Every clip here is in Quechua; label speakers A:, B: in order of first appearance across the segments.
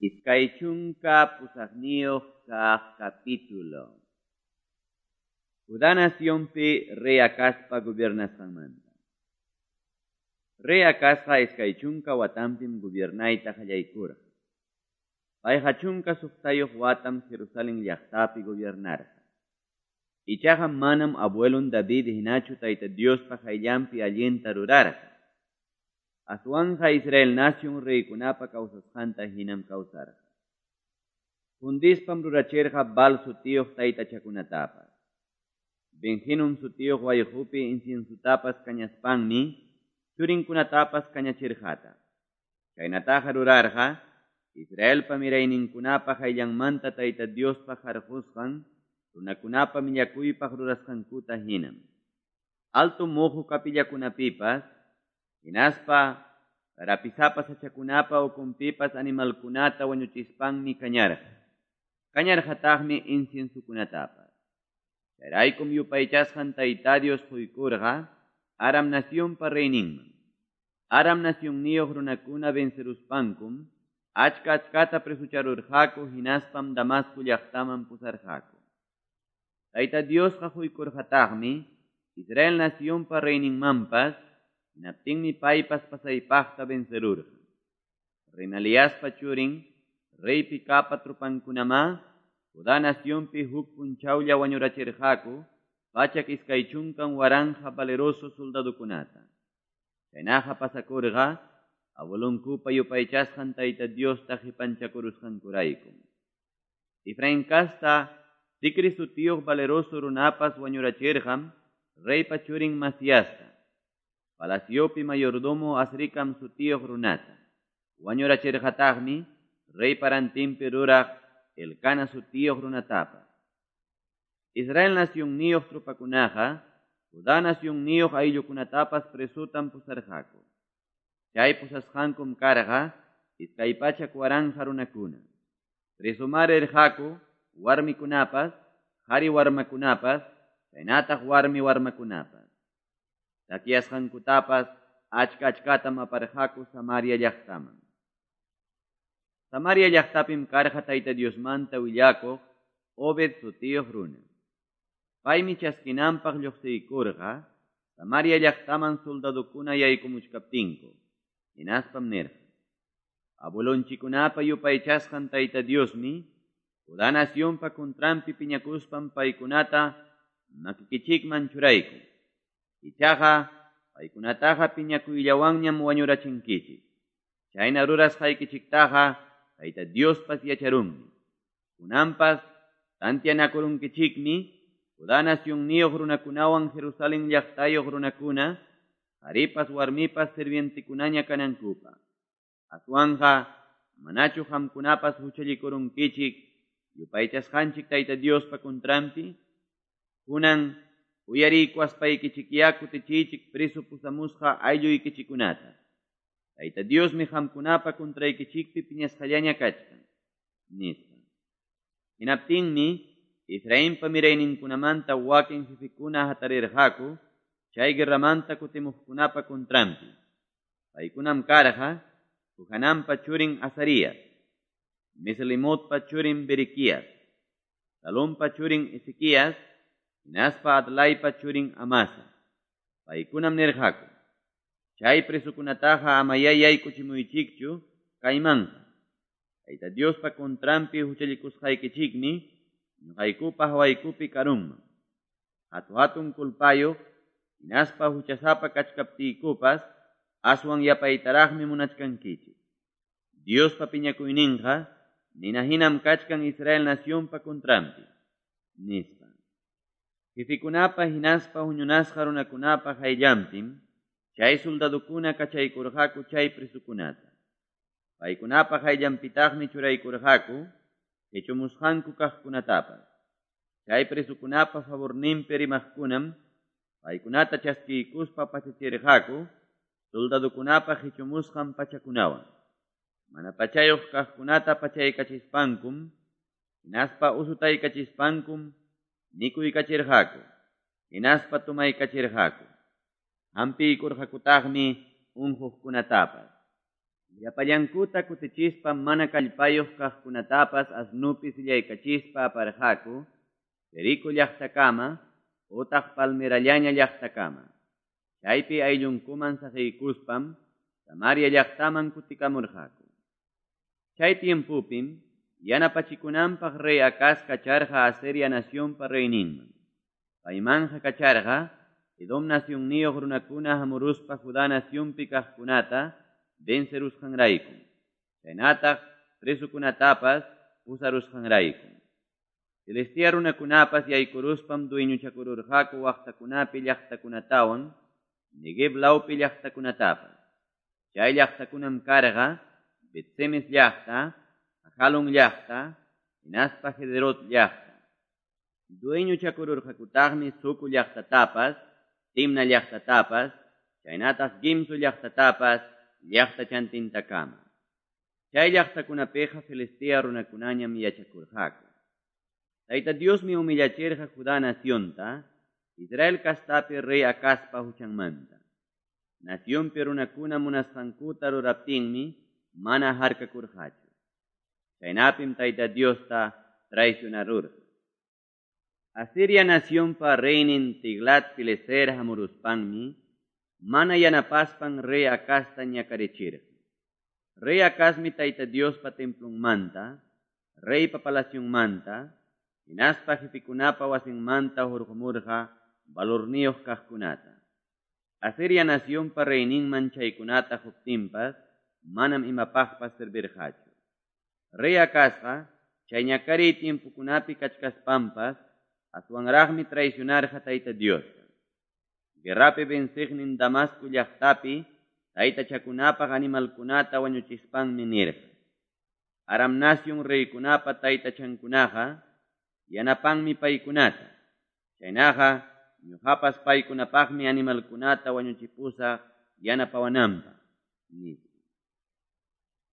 A: 28 kaq capítulo. Judá nacionpi rey Acazpa gobiernasqanmanta. Rey Acazqa 20 watanpim gobiernayta qallaykurqa. Payqa 16 watam Jerusalén llaqtapi gobiernarqa. Ichaqa manam abuelon David hinachu Tayta Diospa qayllanpi allinta rurarqa. Aswanqa Israel nacion reykunapa kawsasqanta hinam kawsarqa. Fundispam rurachirqa Baal sutiyuq taytachakunatapas. Ben-Hinum sutiyuq wayqupi inciensutapas kañaspanmi churinkunatapas kañachirqata. Chaynataqa rurarqa Israelpa mirayninkunapa qayllanmanta Tayta Diospa harqusqan runakunapa millakuypaq rurasqankuta hinam. Alto muhu kapillakunapipas, hinaspa rapisapa sachakunapa ukunpipas animalkunata wañuchispanmi kañarqa. Kañarqataqmi inciensukunatapas. Chayraykum yupaychasqan Tayta Dios quykurqa Aram nacionpa reyninman. Aram nacionniyuq runakuna venceruspankum achka achkata presucharurqaku hinaspam Damasco llaqtaman pusarqaku. Tayta Diosqa quykurqataqmi Israel nacionpa reyninmanpas, hinaptinmi paypas pasaypaqta vencerurqa. Remaliaspa churin, rey Pekapa tropankunamá, Judá nacionpi huk punchawlla wañurachirqaku 120,000 valeroso soldadokunata. Chaynaqa pasakurqa abuelonkupa yupaychasqan Tayta Diosta qipanchakurusqankuraykum. Efraín kasta Zicri sutiyuq valeroso runapas wañurachirqam reypa churin Masiasta, palaciopi mayordomo Azrikam sutiyuq runata. Wañurachirqataqmi reypa rantinpi ruraq Elcana sutiyuq runatapas. Israel nacionniyuq tropakunaqa Judá nacionniyuq ayllukunatapas presutam pusarqaku. Chay pusasqankum karqa 200,000 runakuna. Presumar rirqaku warmikunapas, qhari warmakunapas, chaynataq warmi warmakunapas. Takyasqankutapas achka achkatam aparqaku Samaria llaqtaman. Samaria llaqtapim karqa Tayta Diosmanta willakuq Obed sutiyuq runa. Paymi chaskinanpaq lluqsiykurqa Samaria llaqtaman soldadokuna yaykumuchkaptinku. Hinaspam nirqa: Abuelonchikunapa yupaychasqan Tayta Diosmi Judá nacionpa contranpi piñakuspan paykunata makikichikman churaykun. Ichaqa paykunataqa piñakuyllawanñam wañurachinkichik. Chayna rurasqaykichiktaqa Tayta Diospas yacharunmi. Kunanpas tantianakurunkichikmi Judá nacionniyuq runakunawan Jerusalén llaqtayuq runakuna qharipas warmipas sirvientekunaña kanankupaq. Aswanqa manachu qamkunapas huchallikurunkichik yupaychasqanchik Tayta Diospa contranpi? Kunan uyariykuwaspaykichikyá kutichiychik preso pusamusqa aylluykichikunata. Tayta Diosmi qamkunapa contraykichikpi piñasqallaña kachkan, nispa. Hinaptinmi Efrainpa mirayninkunamanta wakin jefekuna hatarirqaku chay guerramanta kutimuqkunapa contranpi. Paykunam karqa Johananpa churin Azarías, Meslemotpa churin Berequías, Salompa churin Ezequías, hinaspa Adlaypa churin Amasa. Paykunam nirqaku: Chay presukunataqa amayá yaykuchimuychikchu kaymanqa. Tayta Diospa contranpi huchallikusqaykichikmi ñuqaykupa hawaykupi karunman. Hatu-hatun culpayuq hinaspa huchasapa kachkaptiykupas aswan yapaytaraqmi munachkankichik. Diospa piñakuyninqa nina hinam kachkan Israel nacionpa contranpi, nispa. Jefekunapa hinaspa huñunasqa runakunapa qayllanpim chay soldadokuna kachaykurqaku chay presukunata. Paykunapa qayllanpitaqmi churaykurqaku hechumusqanku kaqkunatapas. Chay presukunapa favorninpi rimaqkunam paykunata chaskiykuspa pachachirqaku soldadokunapa hechumusqan pachakunawan. Mana pachayuq kaqkunata pachaykachispankum, hinaspa usutaykachispankum mikuykachirqaku, hinaspa tumaykachirqaku. Hampiykurqakutaqmi unquqkunatapas. Llapallankuta kutichispam mana kallpayuq kaqkunatapas asnopi sillaykachispa aparqaku Jerico llaqtakama otaq palmerallaña llaqtakama. Chaypi ayllunkuman saqeykuspam Samaria llaqtaman kutikamurqaku. Chay tiempopim yanapachikunanpaq rey Acaz kacharqa Asiria nacionpa reyninman. Paymanqa kacharqa Edom nacionniyuq runakuna hamuruspa Judá nacionpi kaqkunata vencerusqanraykum, chaynataq presokunatapas pusarusqanraykum. Filistea runakunapas yaykuruspam dueñochakururqaku waqtakunapi llaqtakunatawan Neguev lawpi llaqtakunatapas. Chay llaqtakunam karqa Bet-semes llaqta, Ajalón llaqta, hinaspa Gederot llaqta. Dueñochakururqakutaqmi Soco llaqtatapas, Timna llaqtatapas, chaynataq Gimzo llaqtatapas llaqtachantintakama. Chay llaqtakunapiqa Filistea runakunañam yachakurqaku. Tayta Diosmi humillachirqa Judá nacionta, Israel castapi rey Acazpa huchanmanta. Nacionpi runakuna munasqankuta ruraptinmi mana harkakurqachu. Chaynapim Tayta Diosta traicionarurqa. Asiria nacionpa reynin Tiglat-pileser hamuruspanmi mana yanapaspan rey Acazta ñakarichirqa. Rey Acazmi Tayta Diospa templonmanta, reypa palacionmanta, hinaspa jefekunapa wasinmanta hurqumurqa valorniyuq kaqkunata. Asiria nacionpa reyninman chaykunata quptinpas manam imapaqpas servirqachu. Rey Acazqa chay ñakariy tiempokunapi kachkaspanpas aswanraqmi traicionarqa Tayta Diosta. Guerrapi venciqnin Damasco llaqtapi taytachakunapaq animalkunata wañuchispanmi nirqa: Aram nacion reykunapa taytachankunaqa yanapanmi paykunata. Chaynaqa ñuqapas paykunapaqmi animalkunata wañuchipusaq yanapawananpaq, nispa.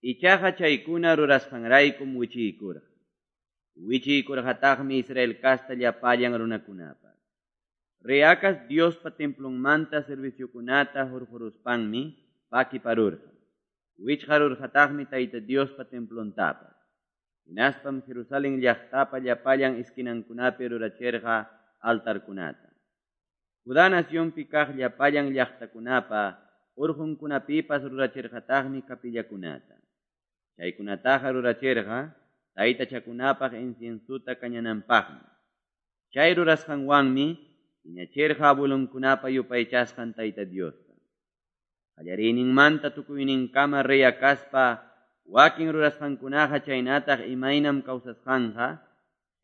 A: Ichaqa chaykuna rurasqanraykum wichiykurqa. Wichiykurqataqmi Israel casta llapallan runakunapas. Rey Acaz Diospa templonmanta serviciokunata hurquruspanmi pakiparurqa. Wichqarurqataqmi Tayta Diospa templontapas. Hinaspam Jerusalén llaqtapa llapallan esquinankunapi rurachirqa altarkunata. Judá nacionpi kaq llapallan llaqtakunapa urqunkunapipas rurachirqataqmi capillakunata. Chaykunataqa rurachirqa taytachakunapaq inciensota kañananpaqmi. Chay rurasqanwanmi piñachirqa abuelonkunapa yupaychasqan Tayta Diosta. Qallariyninmanta tukuyninkama rey Acazpa wakin rurasqankunaqa chaynataq imaynam kawsasqanqa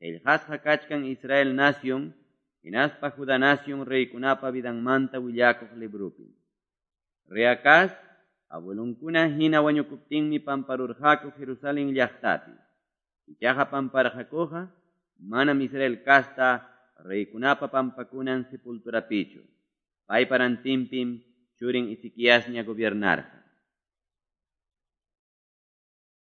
A: qillqasqa kachkan Israel nacion hinaspa Judá nacion reykunapa vidanmanta willakuq libropi. Rey Acaz abuelonkuna hina wañukuptinmi pamparurqaku Jerusalén llaqtapi. Ichaqa pamparqakuqa manam Israel casta reykunapa pampakunan sepulturapichu. Paypa rantinpim churin Ezequiasña gobiernarqa.